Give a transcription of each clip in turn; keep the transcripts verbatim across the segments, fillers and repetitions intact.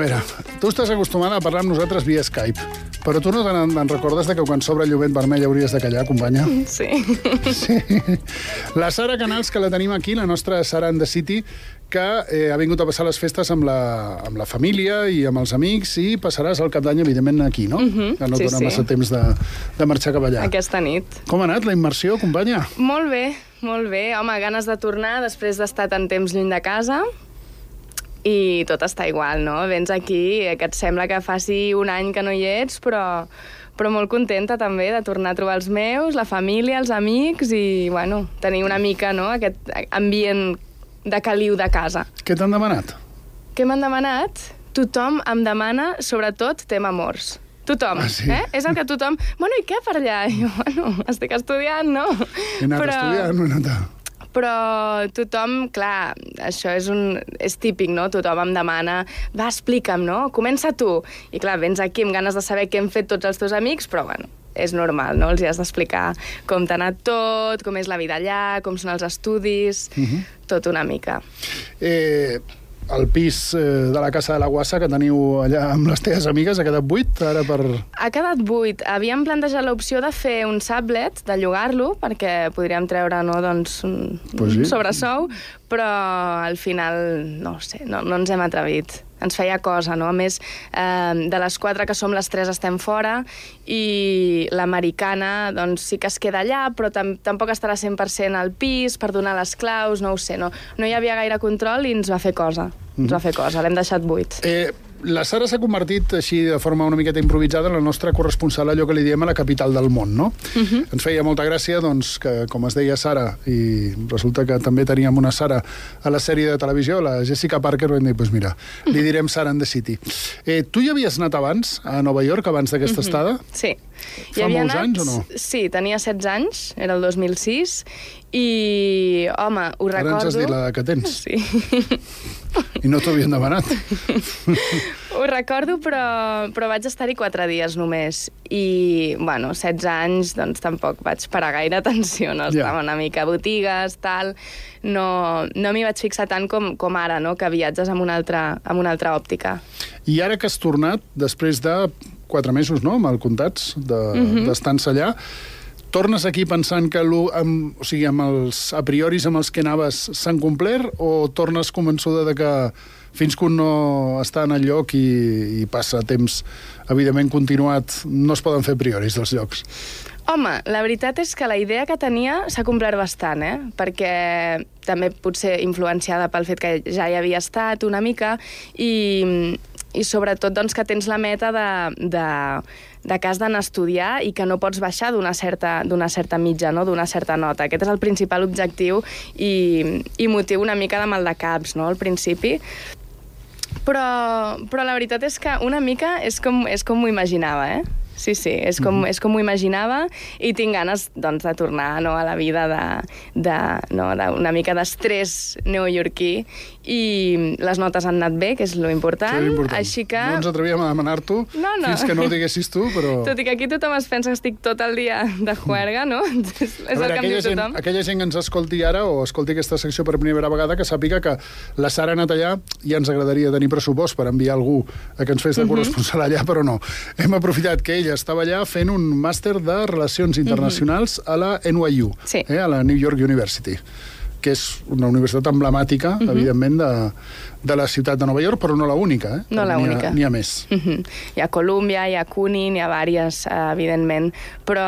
veure, tu estàs acostumada a parlar amb nosaltres via Skype, però tu no te'n en recordes de que quan s'obre el llumet vermell hauries de callar, companya? Sí. Sí. La Sara Canals, que la tenim aquí, la nostra Sara and the City, que eh, ha vingut a passar les festes amb la, amb la família i amb els amics, i passaràs el cap d'any, evidentment, aquí, no? Uh-huh. Que no Sí, dona sí. massa temps de, de marxar cap allà. Aquesta nit. Com ha anat la immersió, companya? Molt bé, molt bé. Home, ganes de tornar després d'estar tant temps lluny de casa. I tot està igual, no? Vens aquí, que et sembla que faci un any que no hi ets, però, però molt contenta també de tornar a trobar els meus, la família, els amics i, bueno, tenir una mica, no?, aquest ambient de caliu de casa. Què t'han demanat? Què m'han demanat? Tothom em demana, sobretot, tema amors. Tothom, ah, sí? eh? És el que tothom... Bueno, i què per allà? I jo, bueno, estic estudiant, no? He anat però... estudiant, no he anat a... Però tothom, clar, això és, un, és típic, no? Tothom em demana, va, explica'm, no? Comença tu. I clar, vens aquí amb ganes de saber què hem fet tots els teus amics, però bueno, és normal, no? Els hi has d'explicar com t'ha anat tot, com és la vida allà, com són els estudis, uh-huh. tot una mica. Eh... El pis eh, de la Casa de la Guassa que teniu allà amb les teves amigues ha quedat buit ara per... Ha quedat buit. Havíem plantejat l'opció de fer un sublet, de llogar-lo, perquè podríem treure, no, doncs, un, pues sí. un sobresou, però al final, no sé, no, no ens hem atrevit. Ens feia cosa, no? A més, eh, de les quatre que som, les tres estem fora i l'americana, doncs, sí que es queda allà, però tam tampoc estarà cent per cent al pis per donar les claus, no ho sé, no, no hi havia gaire control i ens va fer cosa. Ens va fer cosa, l'hem deixat buit. Eh, la Sara s'ha convertit així de forma una miqueta improvisada en la nostra corresponsal, allò que li diem a la capital del món, no? Uh-huh. Ens feia molta gràcia, doncs, que, com es deia Sara, i resulta que també teníem una Sara a la sèrie de televisió, la Jessica Parker, vam dir, doncs mira, li direm Sara and the City. Eh, tu hi havies anat abans, a Nova York, abans d'aquesta uh-huh. estada? Sí. Fa molts anat... anys o no? Sí, tenia setze anys, era el dos mil sis, i, home, ho Ara recordo... Ara ens has dit la que tens. Sí. I no t'ho havien demanat. Ho recordo, però, però vaig estar-hi quatre dies només. I, bueno, setze anys, doncs tampoc vaig parar gaire atenció, no? Estava yeah. una mica a botigues, tal... No, no m'hi vaig fixar tant com, com ara, no?, que viatges amb una altra, amb una altra òptica. I ara que has tornat, després de quatre mesos, no?, mal comptats, d'estar-se de, allà, tornes aquí pensant que amb, o sigui, amb els a prioris amb els que anaves s'han complert, o tornes convençuda de que fins que un no està en el lloc i, i passa temps, evidentment, continuat, no es poden fer prioris dels llocs? Home, la veritat és que la idea que tenia s'ha complert bastant, eh? Perquè també potser influenciada pel fet que ja hi havia estat una mica i, i sobretot doncs, que tens la meta de, de, de que has d'anar a estudiar i que no pots baixar d'una certa, d'una certa mitja, no? D'una certa nota. Aquest és el principal objectiu i, i motiu una mica de maldecaps, no?, al principi. Però, però la veritat és que una mica és com, és com m'ho imaginava, eh? Sí, sí, és com, és com m'ho imaginava i tinc ganes, doncs, de tornar, no, a la vida de, de, no, d'una mica d'estrès neoyorquí i les notes han anat bé, que és lo important, sí, important. Així que... No ens atrevíem a demanar-t'ho no, no. fins que no ho diguessis tu, però... Tot i que aquí tothom es pensa que estic tot el dia de juerga, no? És a veure, el que em diu gent, tothom. aquella gent que ens escolti ara o escolti aquesta secció per primera vegada, que sàpiga que la Sara ha anat allà i ens agradaria tenir pressupost per enviar algú a que ens fes de corresponsal allà, però no. Hem aprofitat que ella estava allà fent un màster de Relacions Internacionals a la N Y U, sí. eh, a la New York University, que és una universitat emblemàtica, uh-huh. evidentment, de, de la ciutat de Nova York, però no la única, eh? No la única. N'hi ha, ha més. Uh-huh. Hi ha Columbia, hi ha CUNY, n'hi ha vàries, eh, evidentment, però,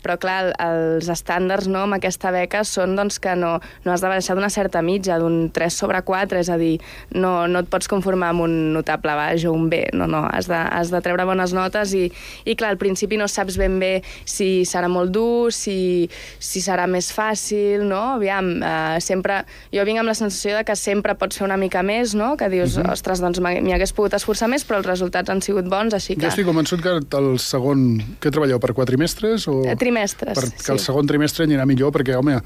però clar, els estàndards, no, amb aquesta beca són doncs, que no, no has de baixar d'una certa mitja, d'un tres sobre quatre, és a dir, no, no et pots conformar amb un notable baix o un B, no, no, has de, has de treure bones notes i, i clar, al principi no saps ben bé si serà molt dur, si, si serà més fàcil, no? Aviam, eh, sempre, jo vinc amb la sensació de que sempre pots fer una mica més, no? Que dius, uh-huh. ostres, doncs m'hi hagués pogut esforçar més, però els resultats han sigut bons, així que... Jo estic convençut que el segon... Què treballeu, per quadrimestres? O... Trimestres, per, sí. Que el segon trimestre anirà millor, perquè, home,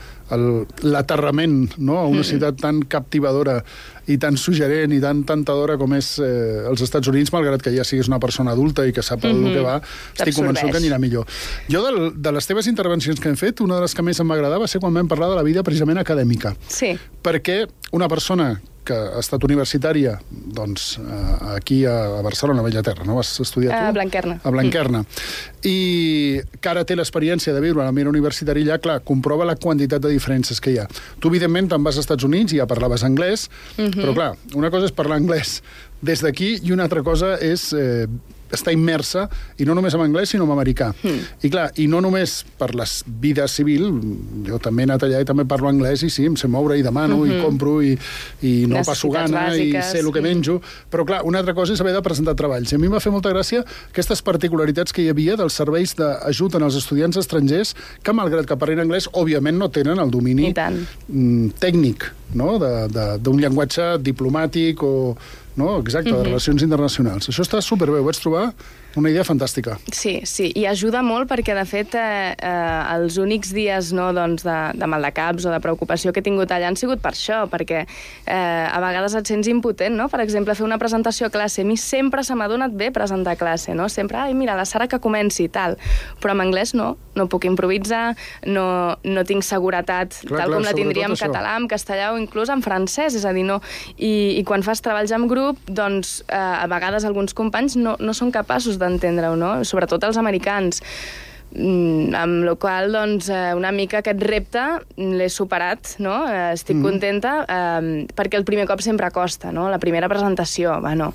l'aterrament, no?, a una mm. ciutat tan captivadora i tan suggerent i tan tentadora com és eh, els Estats Units, malgrat que ja siguis una persona adulta i que sap el mm-hmm. que va, estic convençut que anirà millor. Jo, de, de les teves intervencions que hem fet, una de les que més em va agradar va ser quan vam parlar de la vida precisament acadèmica. Sí. Perquè una persona que ha estat universitària doncs, aquí a Barcelona, a Bellaterra, no? Vas estudiar tu? A Blanquerna. A Blanquerna. Mm. I que ara té l'experiència de viure a l'ambient universitari allà, clar, comprova la quantitat de diferències que hi ha. Tu, evidentment, te'n vas als Estats Units i ja parlaves anglès, mm-hmm. però, clar, una cosa és parlar anglès des d'aquí i una altra cosa és eh, estar immersa, i no només en anglès, sinó en americà. Mm. I clar, i no només per la vida civil, jo també he anat allà i també parlo anglès, i sí, em sé moure i demano, mm-hmm. i compro, i, i no passo gana, bàsiques, i sé el que sí. menjo, però clar, una altra cosa és haver de presentar treballs. I a mi m'ha fet molta gràcia aquestes particularitats que hi havia dels serveis d'ajut als estudiants estrangers, que malgrat que parlin anglès, òbviament no tenen el domini tècnic, no? d'un llenguatge diplomàtic o... No? Exacte, de relacions internacionals. Això està superbé, ho vaig trobar una idea fantàstica. Sí, sí, i ajuda molt perquè, de fet, eh, eh, els únics dies no, doncs de, de maldecaps o de preocupació que he tingut allà han sigut per això, perquè eh, a vegades et sents impotent, no? Per exemple, fer una presentació a classe. A mi sempre se m'ha donat bé presentar a classe, no? Sempre, ai, mira, la Sara que comenci i tal. Però en anglès no, no puc improvisar, no, no tinc seguretat clar, tal clar, com la tindria en català, en castellà o inclús en francès, és a dir, no... I, i quan fas treballs en grup, doncs eh, a vegades alguns companys no, no són capaços d'entendre-ho, no? Sobretot els americans. Mm, amb la qual cosa, doncs, una mica aquest repte l'he superat, no? Estic mm. contenta, eh, perquè el primer cop sempre costa, no? La primera presentació, bueno,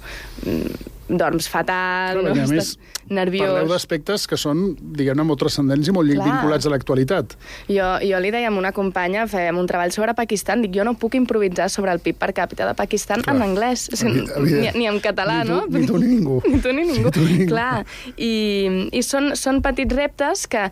dorms fatal, clar, no? Estàs nerviós. Parleu d'aspectes que són, diguem-ne, molt transcendents i molt clar. vinculats a l'actualitat. Jo, jo li deia a una companya, fèiem un treball sobre Pakistan, dic, jo no puc improvisar sobre el P I B per càpita de Pakistan clar. en anglès, o sigui, ni, ni en català, ni tu, no? Ni tu ni ningú. Ni tu ni ningú, ni tu, ni ningú. Clar. I, i són, són petits reptes que,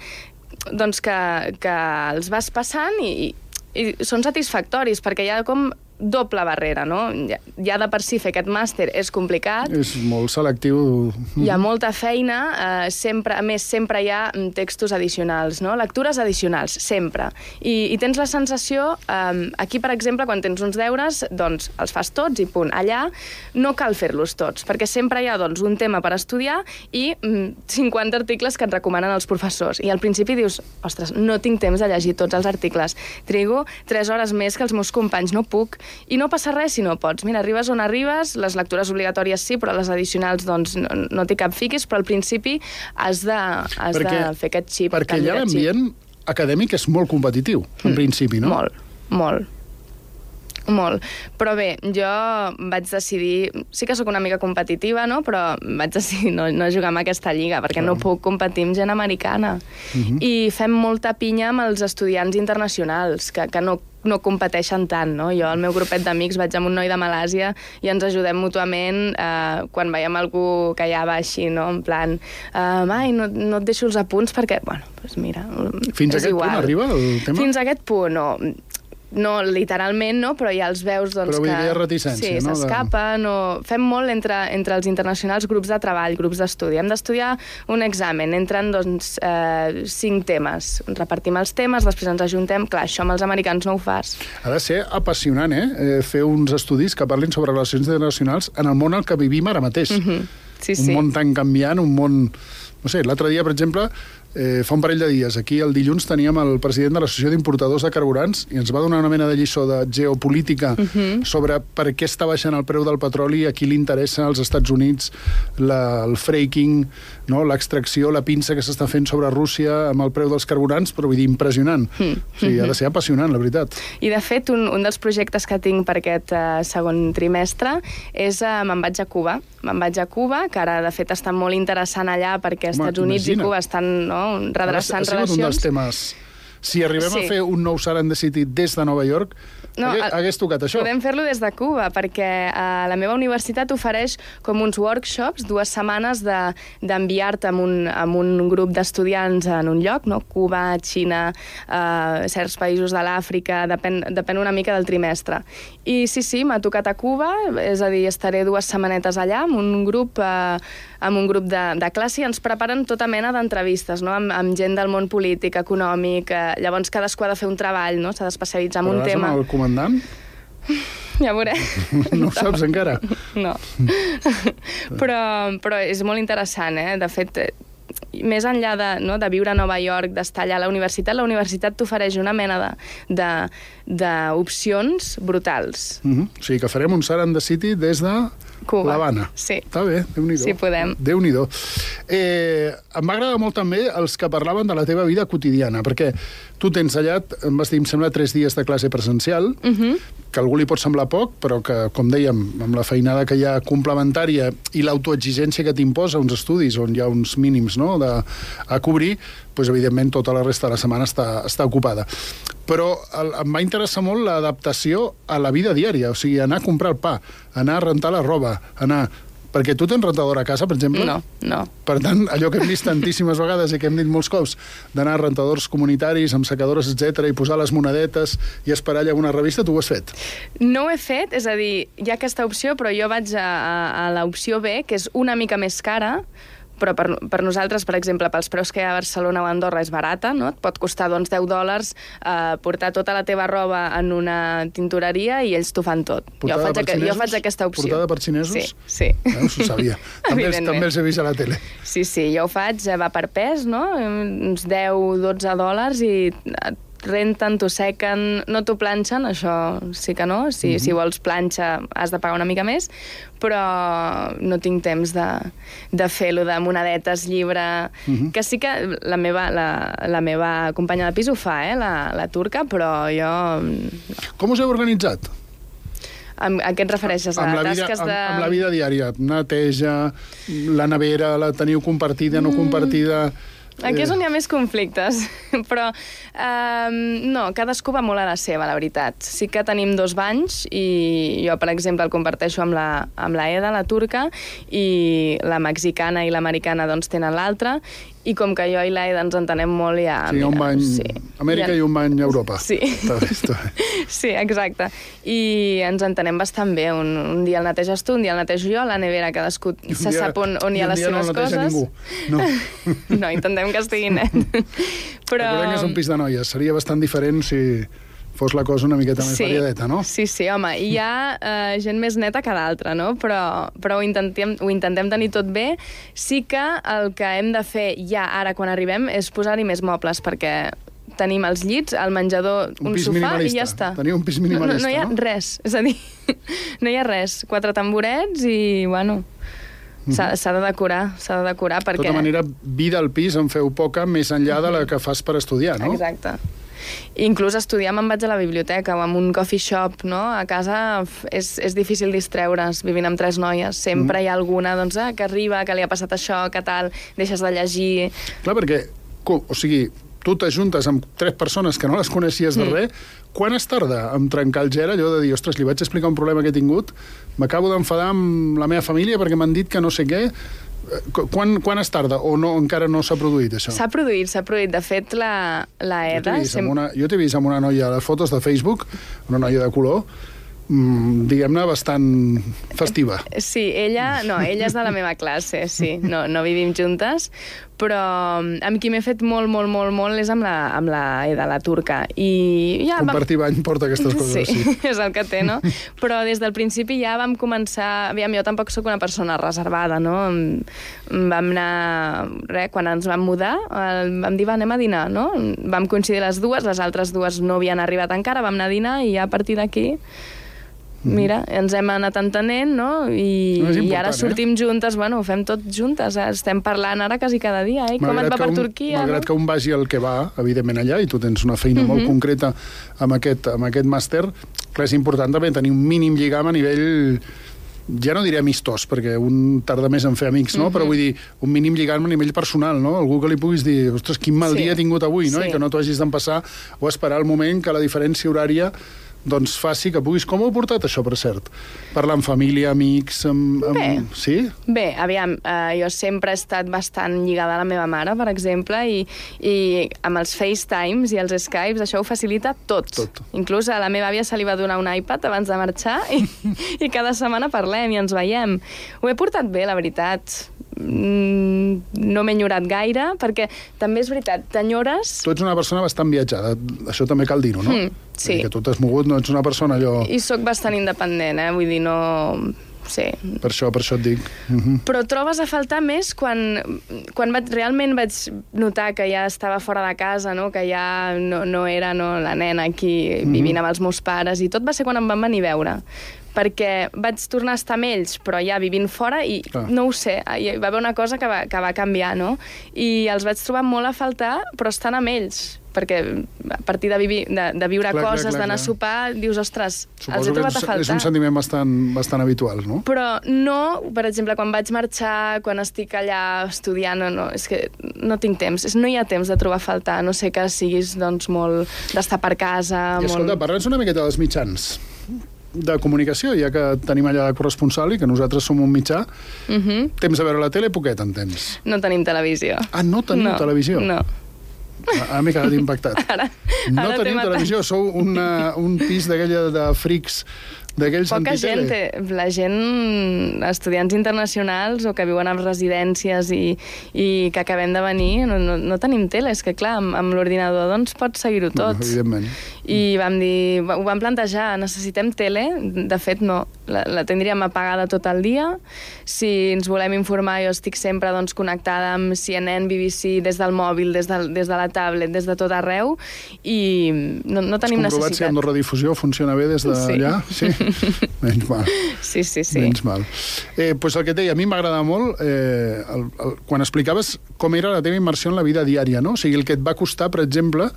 doncs que, que els vas passant i, i són satisfactoris, perquè hi ha com doble barrera, no? Ja, ja de per si fer aquest màster és complicat. És molt selectiu. Hi ha molta feina, eh, sempre, a més, sempre hi ha textos addicionals, no? Lectures addicionals, sempre. I, i tens la sensació, eh, aquí, per exemple, quan tens uns deures, doncs els fas tots i punt. Allà no cal fer-los tots, perquè sempre hi ha doncs, un tema per estudiar i mm, cinquanta articles que et recomanen els professors. I al principi dius, ostres, no tinc temps de llegir tots els articles. Trigo tres hores més que els meus companys, no puc. I no passa res si no pots. Mira, arribes on arribes, les lectures obligatòries sí, però les addicionals doncs, no, no t'hi cap fiquis, però al principi has de, has perquè, de fer aquest xip. Perquè allà l'ambient acadèmic és molt competitiu, en mm, principi, no? Molt, molt. Molt. Però bé, jo vaig decidir... Sí que sóc una mica competitiva, no? Però vaig decidir no, no jugar en aquesta lliga, perquè no, no puc competir amb gent americana. Uh-huh. I fem molta pinya amb els estudiants internacionals, que, que no no competeixen tant, no? Jo, al meu grupet d'amics, vaig amb un noi de Malàsia i ens ajudem mútuament eh, quan veiem algú que ja va així, no? En plan, eh, mai, no, no et deixo els apunts perquè, bueno, doncs mira, fins a aquest igual. punt arriba el tema? Fins a aquest punt, no. No, literalment no, però ja els veus doncs, però vull que... dir, hi ha reticència, sí, no? s'escapen, o... Fem molt entre, entre els internacionals grups de treball, grups d'estudi. Hem d'estudiar un examen, entren doncs, eh, cinc temes. Repartim els temes, després ens ajuntem. Clar, això amb els americans no ho fas. Ha de ser apassionant, eh? eh fer uns estudis que parlin sobre relacions internacionals en el món al que vivim ara mateix. Mm-hmm. Sí, sí. Un món tan canviant, un món... No sé, l'altre dia, per exemple, eh, fa un parell de dies, aquí el dilluns teníem el president de l'Associació d'Importadors de Carburants i ens va donar una mena de lliçó de geopolítica uh-huh. sobre per què està baixant el preu del petroli, a qui li interessa als Estats Units la, el fracking, no? L'extracció, la pinça que s'està fent sobre Rússia amb el preu dels carburants, però vull dir, impressionant. Uh-huh. O sigui, ha de ser apassionant, la veritat. I, de fet, un, un dels projectes que tinc per aquest uh, segon trimestre és uh, me'n vaig a Cuba. Me'n vaig a Cuba, que ara, de fet, està molt interessant allà perquè als Estats Units imagina. i Cuba estan no, redreçant relacions. Ha sigut un dels temes. Si arribem sí. a fer un nou Sara and the City des de Nova York, no, hagués, hagués tocat això. Podem fer-lo des de Cuba, perquè eh, la meva universitat ofereix com uns workshops, dues setmanes d'enviar-te de, amb, un, amb un grup d'estudiants en un lloc, no? Cuba, Xina, eh, certs països de l'Àfrica, depèn, depèn una mica del trimestre. I sí, sí, m'ha tocat a Cuba, és a dir, estaré dues setmanetes allà amb un grup, eh, amb un grup de, de classe i ens preparen tota mena d'entrevistes, no? amb, amb gent del món polític, econòmic, eh, llavors cadascú ha de fer un treball, no? S'ha d'especialitzar en un tema. Però vas amb el comandant? Ja veuré. No ho saps encara? No. però, però és molt interessant, eh? De fet, més enllà de, no, de viure a Nova York, d'estar allà a la universitat, la universitat t'ofereix una mena d'opcions brutals. Mm-hmm. O sigui que farem un Sara and the City des de Cuba. l'Havana. Sí. Està bé, Déu-n'hi-do. Sí, podem. Déu-n'hi-do. Eh, em va agradar molt també els que parlaven de la teva vida quotidiana, perquè tu tens allà, em vas dir, em sembla, tres dies de classe presencial, Uh-huh. que a algú li pot semblar poc, però que, com dèiem, amb la feinada que hi ha complementària i l'autoexigència que t'imposa uns estudis on hi ha uns mínims, no?, de, a cobrir, doncs, evidentment, tota la resta de la setmana està, està ocupada. Però el, em va interessar molt l'adaptació a la vida diària, o sigui, anar a comprar el pa, anar a rentar la roba, anar... Perquè tu tens rentadora a casa, per exemple? No, no. Per tant, allò que hem vist tantíssimes vegades i que hem dit molts cops, d'anar a rentadors comunitaris, amb secadores, etcètera, i posar les monedetes i esperar allà una revista, tu ho has fet? No ho he fet, és a dir, hi ha aquesta opció, però jo vaig a, a, a l'opció B, que és una mica més cara, però per, per nosaltres, per exemple, pels preus que hi ha a Barcelona o a Andorra és barata, no? Et pot costar doncs, deu dòlars eh, portar tota la teva roba en una tintoreria i ells t'ho fan tot. Portada jo faig, per xinesos? Jo faig aquesta opció. Portada per xinesos? Sí, sí. Veus, ho sabia. també, els, també els he vist a la tele. Sí, sí, jo ho faig, va per pes, no? Uns deu dotze dòlars i renten, t'ho sequen, no t'ho planxen, això sí que no. Si, uh-huh. si vols planxa has de pagar una mica més, però no tinc temps de, de fer-lo de monedetes, llibre... Uh-huh. Que sí que la meva, la, la meva companya de pis ho fa, eh, la, la turca, però jo... No. Com us heu organitzat? Amb, a què et refereixes? A amb la vida, tasques de... amb, amb la vida diària, neteja, la nevera, la teniu compartida, no mm. compartida... Aquí és on hi ha més conflictes, però um, no, cadascú va molt a la seva, la veritat. Sí que tenim dos banys i jo, per exemple, el comparteixo amb la, amb la Eda, la turca, i la mexicana i l'americana doncs tenen l'altre, i com que jo i la Eda ens entenem molt, ja... Sí, hi ha un bany sí. Amèrica ja... i un bany Europa. Sí. Està bé, està bé. Sí, exacte. I ens entenem bastant bé. Un, un dia el neteges tu, un dia el netejo jo, la nevera cadascú se dia, sap on, on hi ha les seves no coses. Ningú. No. No, intentem que estigui net. Però... Recordem que és un pis de noies. Seria bastant diferent si fos la cosa una miqueta més sí, variadeta, no? Sí, sí, home, hi ha uh, gent més neta que d'altra, no? Però, però ho, intentem, ho intentem tenir tot bé. Sí que el que hem de fer ja ara, quan arribem, és posar-hi més mobles, perquè tenim els llits, el menjador, un, un sofà i ja està. Teniu un pis minimalista, no? No, no hi ha no? res, és a dir, no hi ha res. Quatre tamborets i, bueno... S'ha de decorar, s'ha de decorar perquè... De tota manera, vida al pis en feu poca més enllà de la que fas per estudiar, no? Exacte. Inclús estudiar me'n vaig a la biblioteca o amb un coffee shop, no? A casa és, és difícil distreure's vivint amb tres noies. Sempre mm. hi ha alguna doncs, ah, que arriba, que li ha passat això, que tal, deixes de llegir... Clar, perquè, o sigui, tu t'ajuntes amb tres persones que no les coneixies de mm. res, quan es tarda en trencar el gel, allò de dir, ostres, li vaig explicar un problema que he tingut, m'acabo d'enfadar amb la meva família perquè m'han dit que no sé què... Quan, quan es tarda? O no, encara no s'ha produït, això? S'ha produït, s'ha produït. De fet, la, la Eda... Jo t'he vist, sem... una, jo t'he vist amb una noia a les fotos de Facebook, una noia de color, mmm, diguem-ne, bastant festiva. Sí, ella... No, ella és de la meva classe, sí. No, no vivim juntes, però amb qui m'he fet molt, molt, molt, molt és amb la, amb la Eda, la turca. I ja Compartir vam... bany porta aquestes coses, sí. sí. És el que té, no? Però des del principi ja vam començar... Aviam, jo tampoc sóc una persona reservada, no? Vam anar... Res, quan ens vam mudar, vam dir, va, anem a dinar, no? Vam coincidir les dues, les altres dues no havien arribat encara, vam anar a dinar i ja a partir d'aquí... Mira, ens hem anat entenent, no? I, no i ara sortim eh? juntes, bueno, ho fem tot juntes, eh? Estem parlant ara quasi cada dia, eh? Com et va per un, Turquia, malgrat no? que un vagi al que va, evidentment allà, i tu tens una feina uh-huh. molt concreta amb aquest, amb aquest màster, clar, és important també tenir un mínim lligam a nivell... Ja no diré amistós, perquè un tarda més en fer amics, no? Uh-huh. Però vull dir, un mínim lligam a nivell personal, no? Algú que li puguis dir, ostres, quin mal sí. dia he tingut avui, no? Sí. I que no t'ho hagis d'empassar o esperar el moment que la diferència horària doncs faci que puguis... Com ho heu portat, això, per cert? Parlar amb família, amics... Amb, amb... Bé. Sí? Bé, aviam, eh, jo sempre he estat bastant lligada a la meva mare, per exemple, i, i amb els FaceTimes i els Skypes això ho facilita tot. tot. Inclús a la meva àvia se li va donar un iPad abans de marxar i, i cada setmana parlem i ens veiem. Ho he portat bé, la veritat. No m'he enyorat gaire, perquè també és veritat, t'enyores... Tu ets una persona bastant viatjada, això també cal dir-ho, no? Mm, sí. Que tu t'has mogut, no ets una persona allò... I sóc bastant independent, eh? Vull dir, no... sí. Per això, per això et dic. Uh -huh. Però trobes a faltar més quan, quan vaig, realment vaig notar que ja estava fora de casa, no? Que ja no, no era no, la nena aquí uh -huh. vivint amb els meus pares, i tot va ser quan em van venir a veure, perquè vaig tornar a estar amb ells, però ja vivint fora, i ah. no ho sé, hi va haver una cosa que va, que va canviar, no? I els vaig trobar molt a faltar, però estan amb ells, perquè a partir de, vivi, de, de viure clar, coses, d'anar a sopar, dius, ostres, suposo els he trobat és, a faltar. És un sentiment bastant, bastant habitual, no? Però no, per exemple, quan vaig marxar, quan estic allà estudiant, no, no, és que no tinc temps, és, no hi ha temps de trobar a faltar, no sé que siguis doncs, molt d'estar per casa. I escolta, molt... parla'ns una miqueta dels mitjans de comunicació, ja que tenim allà la corresponsal i que nosaltres som un mitjà. Uh -huh. Temps de veure la tele, poquet en temps. No tenim televisió. Ah, no teniu no, televisió? No. Ara m'he quedat impactat. Ara, no ara teniu televisió, sou una, un pis d'aquella de frics, d'aquells antitele. Poca gent té. La gent, estudiants internacionals o que viuen a residències i, i que acabem de venir, no, no, no tenim tele. És que, clar, amb, amb l'ordinador doncs pots seguir-ho tot. Bueno, evidentment. I vam dir, ho vam plantejar, necessitem tele? De fet, no. La, la tindríem apagada tot el dia. Si ens volem informar, jo estic sempre doncs, connectada amb C N N, B B C, des del mòbil, des de, des de la tablet, des de tot arreu, i no, no tenim necessitat. Has comprovat si amb la redifusió funciona bé des d'allà? Sí. sí. Menys mal. Sí, sí, sí. Menys mal. Eh, pues el que et deia, a mi m'agrada molt eh, el, el, quan explicaves com era la teva immersió en la vida diària, no? O sigui, el que et va costar, per exemple,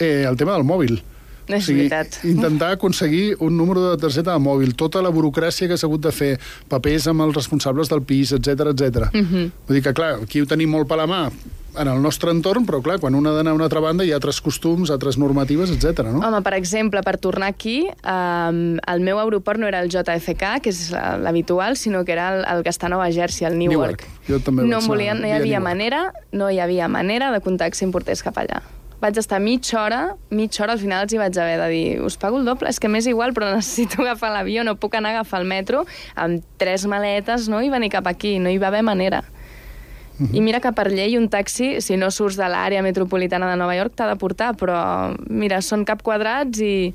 eh, el tema del mòbil. És o sigui, veritat. Intentar aconseguir un número de targeta de mòbil, tota la burocràcia que s'ha hagut de fer, papers amb els responsables del pis, etcètera, etcètera. Uh -huh. Vull dir que, clar, aquí ho tenim molt per la mà en el nostre entorn, però, clar, quan un ha d'anar a una altra banda hi ha altres costums, altres normatives, etcètera, no? Home, per exemple, per tornar aquí, eh, el meu aeroport no era el J F K, que és l'habitual, sinó que era el, el que està a Nova Jersey, el Newark. Newark. Jo també no, vaig volien, no hi havia Newark. manera, no hi havia manera de contacte si em portés cap allà. Vaig estar mitja hora, mitja hora, al final els hi vaig haver de dir, us pago el doble, és que m'és igual, però necessito agafar l'avió, no puc anar a agafar el metro amb tres maletes, no?, i venir cap aquí, no hi va haver manera. Uh -huh. I mira que per llei un taxi, si no surts de l'àrea metropolitana de Nova York, t'ha de portar, però mira, són cap quadrats i...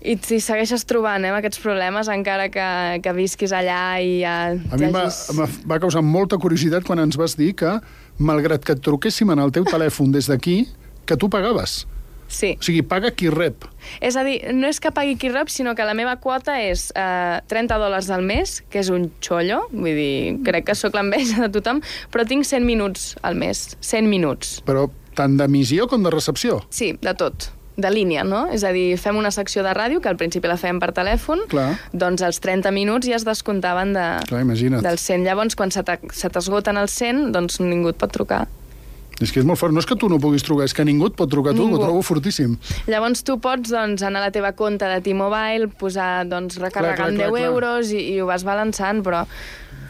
I si segueixes trobant eh, aquests problemes, encara que, que visquis allà i ja... A mi hagis... va, va causar molta curiositat quan ens vas dir que, malgrat que et truquéssim en el teu telèfon des d'aquí, que tu pagaves. Sí. O sigui, paga qui rep. És a dir, no és que pagui qui rep, sinó que la meva quota és eh, trenta dòlars al mes, que és un xollo, vull dir, crec que sóc l'enveja de tothom, però tinc cent minuts al mes, cent minuts. Però tant d'emissió com de recepció? Sí, de tot. De línia, no? És a dir, fem una secció de ràdio, que al principi la fèiem per telèfon, clar. Doncs els trenta minuts ja es descomptaven de, clar, imagina't. del cent. Llavors, quan se t'esgoten els cent, doncs ningú et pot trucar. És que és molt fort. No és que tu no puguis trucar, és que ningú et pot trucar a tu, ningú. Ho trobo fortíssim. Llavors tu pots doncs, anar a la teva compte de T-Mobile, posar, doncs, recarregar clar, clar, amb deu clar, clar. euros i, i ho vas balançant, però...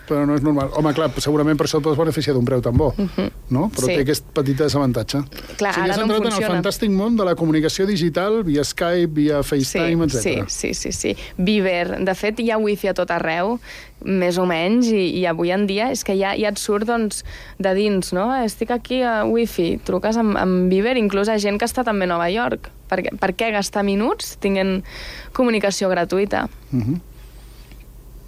Però no és normal. Home, clar, segurament per això et pots beneficiar d'un preu tan bo, uh -huh. no? Però sí. té aquest petit desavantatge. Clar, o sigui, ara no entrat funciona. en el fantàstic món de la comunicació digital via Skype, via FaceTime, sí, etcètera. Sí, sí, sí, sí. Viber. De fet, hi ha wifi a tot arreu, més o menys, i, i avui en dia és que ja, ja et surt doncs, de dins, no? Estic aquí a wifi, truques amb, amb Viber, inclús a gent que està també a Nova York. Per, per què gastar minuts tinguent comunicació gratuïta? Uh -huh.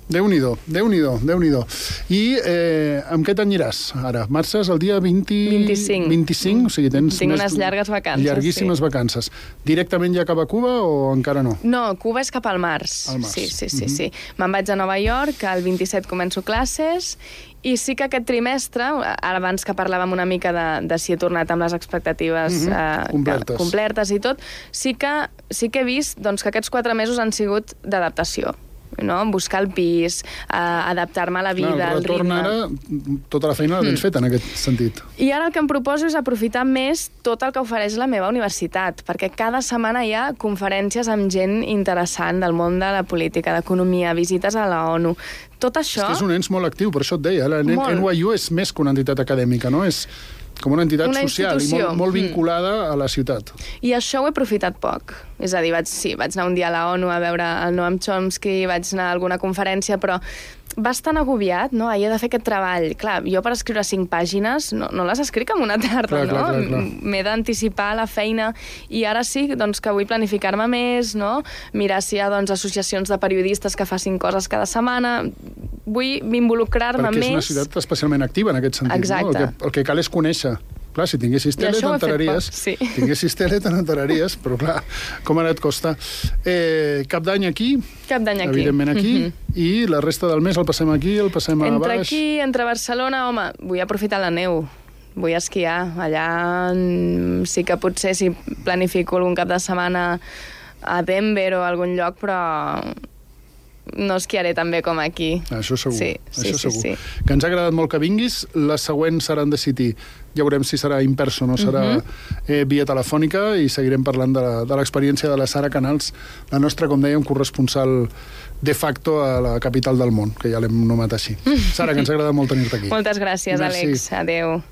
Déu-n'hi-do, Déu-n'hi-do, Déu-n'hi-do. I eh, amb què t'aniràs ara? Marxes el dia vint... vint-i-cinc. vint-i-cinc? O sigui, tens... Tinc més... unes llargues vacances, Llarguíssimes sí. vacances. Directament ja cap a Cuba o encara no? No, Cuba és cap al març. Al març. Sí, sí, sí, uh -huh. sí. Me'n vaig a Nova York, el vint-i-set començo classes, i sí que aquest trimestre, ara abans que parlàvem una mica de, de si he tornat amb les expectatives uh -huh. eh, complertes. complertes i tot, sí que, sí que he vist doncs, que aquests quatre mesos han sigut d'adaptació. No? Buscar el pis, eh, adaptar-me a la vida, clar, al ritme... ara, tota la feina la tens mm. feta en aquest sentit. I ara el que em proposo és aprofitar més tot el que ofereix la meva universitat, perquè cada setmana hi ha conferències amb gent interessant del món de la política, d'economia, visites a la ONU. Tot això... És que és un ens molt actiu, per això et deia. La N Y U és més que una entitat acadèmica, no? És com una entitat una social i molt, molt vinculada mm. a la ciutat. I això ho he aprofitat poc. És a dir, vaig, sí, vaig anar un dia a la ONU a veure el Noam Chomsky, vaig anar a alguna conferència, però bastant agobiat, no? Ahir he de fer aquest treball. Clar, jo per escriure cinc pàgines no, no les escric en una tarda, clar, no? Clar, clar, clar. M'he d'anticipar la feina i ara sí doncs, que vull planificar-me més, no? Mirar si hi ha doncs, associacions de periodistes que facin coses cada setmana. Vull involucrar-me més... Perquè és una ciutat especialment activa en aquest sentit. Exacte. No? El, que, el que cal és conèixer. Clar, si tinguessis tele, t'enteraries. Sí. Tinguessis tele, t'enteraries, però clar, com ara et costa. Eh, cap d'any aquí. Cap d'any aquí. Evidentment aquí. Mm-hmm. I la resta del mes el passem aquí, el passem a entre baix. Entre aquí, entre Barcelona, home, vull aprofitar la neu. Vull esquiar. Allà sí que potser si planifico algun cap de setmana a Denver o a algun lloc, però no esquiaré tan bé com aquí. Això segur. Sí, això sí, segur. sí, sí. Que ens ha agradat molt que vinguis. Les següents seran de City. Ja veurem si serà in person o serà uh-huh. eh, via telefònica i seguirem parlant de, la, de l'experiència de la Sara Canals, la nostra, com dèiem, corresponsal de facto a la capital del món, que ja l'hem nomat així. Sara, que ens ha agradat molt tenir-te aquí. Moltes gràcies, Merci. Àlex. Adéu.